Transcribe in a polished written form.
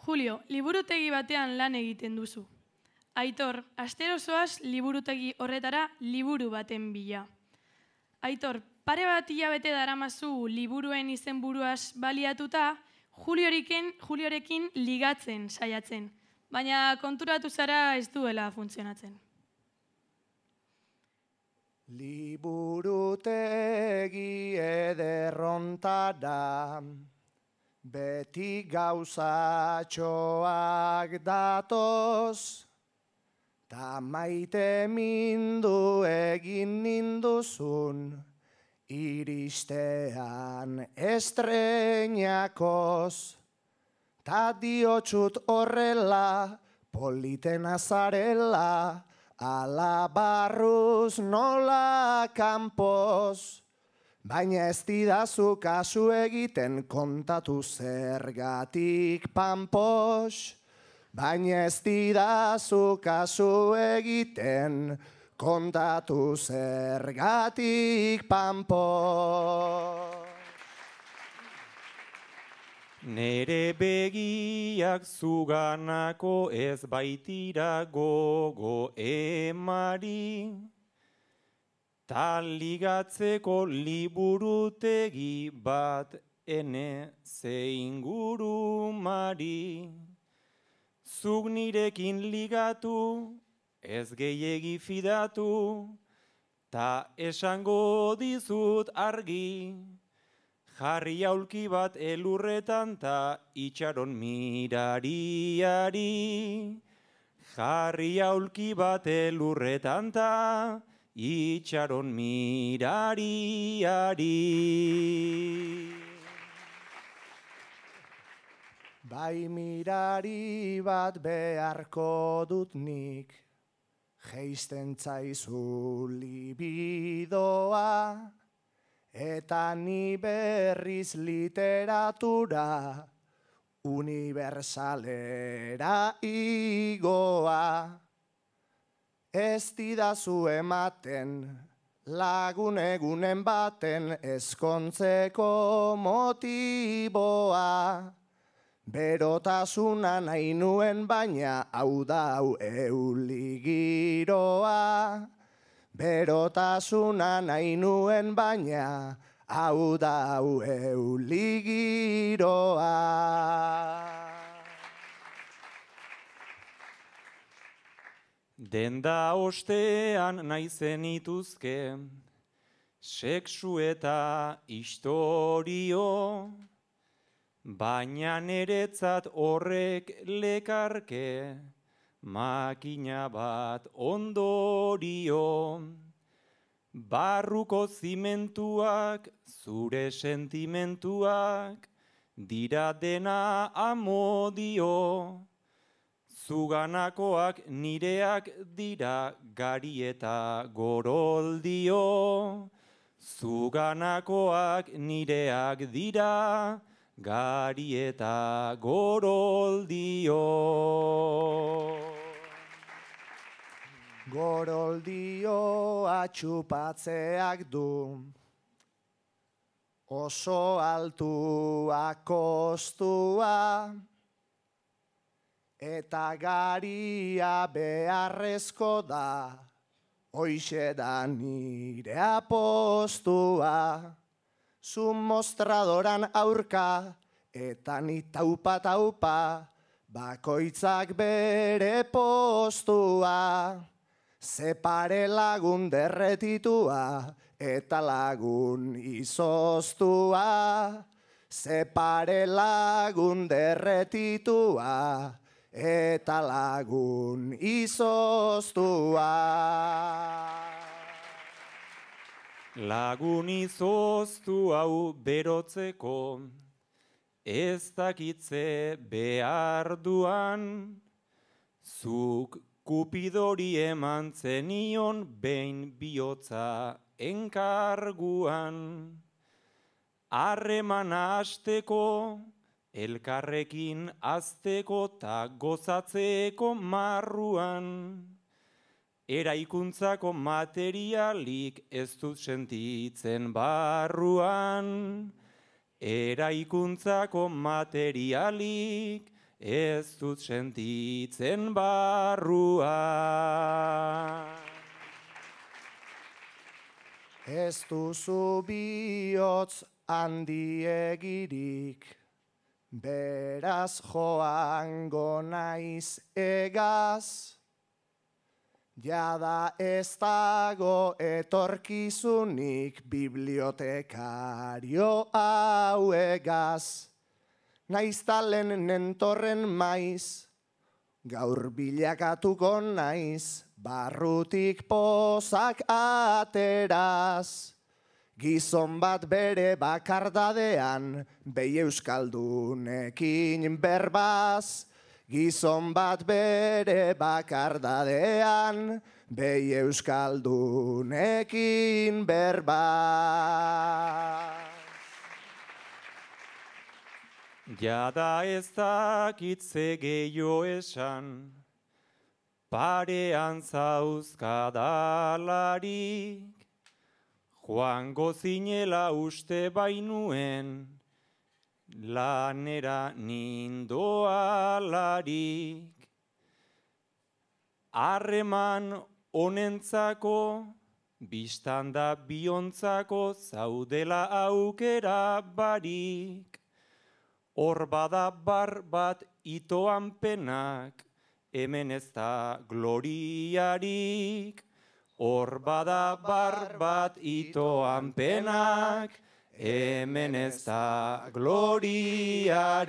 Julio, liburutegi batean lan egiten duzu. Aitor, astero zoaz liburutegi horretara liburu baten bila. Aitor, pare bat hilabete daramazu liburuen izenburuaz baliatuta, Juliorekin ligatzen saiatzen, baina konturatu zara ez duela funtzionatzen. Liburutegi ederrontara, beti gauzatxoak datoz, ta maite mindu egin ninduzun, iristean estreinakoz, ta diotxut horrela, politen azarela, ala barruz nola kanpoz, baina ez didazu kasu egiten kontatu zergatik panpos, baina ez didazu kasu egiten kontatu zergatik panpos. Nere begiak zuganako ez baitira gogo emari, ta ligatzeko liburutegi bat ene ze ingurumari. Zuk nirekin ligatu, ez gehiegi fidatu, ta esango dizut argi, jarri aulki bat elurretan ta itxaron mirariari. Jarri aulki bat elurretan ta itxaron mirariari. Bai mirari bat beharko dut nik, geisten zaizu libidoa, eta ni berriz literatura unibersalera igoa. Ez didazu ematen lagun egunen baten ezkontzeko motiboa. Berotasuna nahi nuen baina hau da hau euligiroa. Berotasuna nahi nuen baina hau da hau euligiroa. Denda ostean nahi zenituzke, sexu eta istorio, baina niretzat horrek lekarke, makina bat ondorio. Barruko zimentuak, zure sentimentuak, dira dena amodio. Zuganakoak nireak dira gari eta goroldio. Zuganakoak nireak dira gari eta goroldio. Goroldio atxupatzeak du, oso altua kostua, eta garia beharrezko da, hoixe da nire apostua. Zu mostradoran aurka, eta ni taupa, bakoitzak bere postua. Separe lagun derretitua, eta lagun izoztua. Separe lagun derretitua, eta lagun izoztua. Lagun izoztu hau berotzeko, ez dakitze behar duan, zuk Kupidori eman zenion behin bihotza enkarguan. Harremana hasteko, elkarrekin azteko ta gozatzeko marruan. Eraikuntzako materialik ez dut sentitzen barruan. Eraikuntzako materialik ez dut sentitzen barrua. Ez duzu bihotz handiegirik, beraz joango naiz egaz. Jada ez dago etorkizunik bibliotekario hauegaz. Naiz talen nentorren maiz, gaur bilakatuko naiz, barrutik pozak ateraz. Gizon bat bere bakardadean, behi euskaldunekin berbaz. Gizon bat bere bakardadean, behi euskaldunekin berbaz. Jada ez dakit ze gehiago esan, parean zauzkadalarik, joango zinela uste bainuen, lanera nindoalarik. Harreman honentzako, biztanda biontzako, zaudela aukera barik. Hor bada bar bat itoan penak, hemen ez da gloriarik. Hor bada bar bat itoan penak, hemen ez da gloriarik.